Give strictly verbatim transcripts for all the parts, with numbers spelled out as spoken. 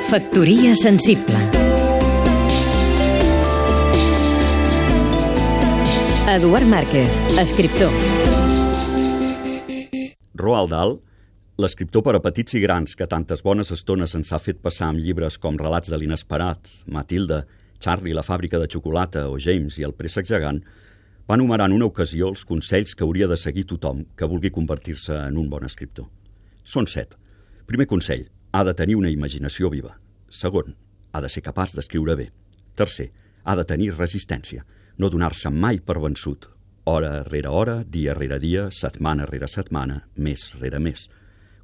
Factoria sensible. Eduard Márquez, escriptor. Roald Dahl, l'escriptor per a petits i grans que tantes bones estones ens ha fet passar amb llibres com Relats de l'inesperat, Matilda, Charlie, la fàbrica de xocolata o James i el préssec gegant, va enumerar en una ocasió els consells que hauria de seguir tothom que vulgui convertir-se en un bon escriptor. Són set. Primer consell, ha de tenir una imaginació viva. Segon, ha de ser capaç d'escriure bé. Tercer, ha de tenir resistència, no donar-se mai per vençut, hora rere hora, dia rere dia, setmana rere setmana, mes rere mes.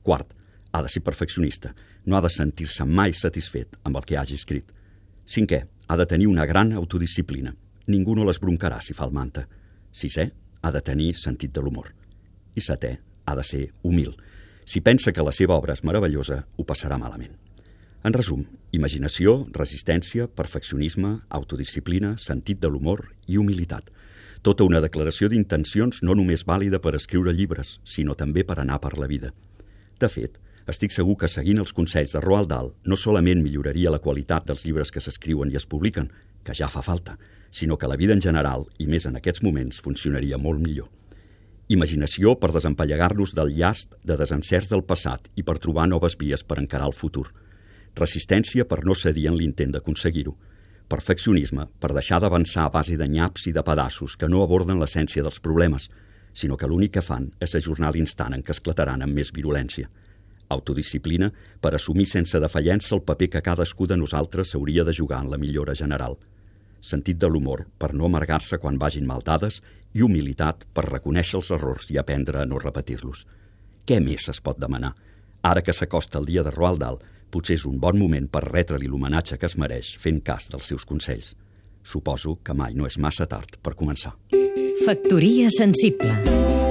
Quart, ha de ser perfeccionista, no ha de sentir-se mai satisfet amb el que hagi escrit. Cinquè, ha de tenir una gran autodisciplina. Ningú no l'esbroncarà si fa el manta. Sisè, ha de tenir sentit de l'humor. I setè, ha de ser humil. Si pensa que la seva obra és meravellosa, ho passarà malament. En resum, imaginació, resistència, perfeccionisme, autodisciplina, sentit de l'humor i humilitat. Tota una declaració d'intencions no només vàlida per escriure llibres, sinó també per anar per la vida. De fet, estic segur que seguint els consells de Roald Dahl no solament milloraria la qualitat dels llibres que s'escriuen i es publiquen, que ja fa falta, sinó que la vida en general, i més en aquests moments, funcionaria molt millor. Imaginació per desempallegar-nos del llast de desencerts del passat i per trobar noves vies per encarar el futur. Resistència per no cedir en l'intent d'aconseguir-ho. Perfeccionisme per deixar d'avançar a base de nyaps i de pedaços que no aborden l'essència dels problemes, sinó que l'únic que fan és ajornar l'instant en què esclataran amb més virulència. Autodisciplina per assumir sense defallença el paper que cadascú de nosaltres hauria de jugar en la millora general. Sentit de l'humor per no amargar-se quan vagin mal dades i humilitat per reconèixer els errors i aprendre a no repetir-los. Què més es pot demanar? Ara que s'acosta el dia de Roald Dahl, potser és un bon moment per retre-li l'homenatge que es mereix fent cas dels seus consells. Suposo que mai no és massa tard per començar. Factoria sensible.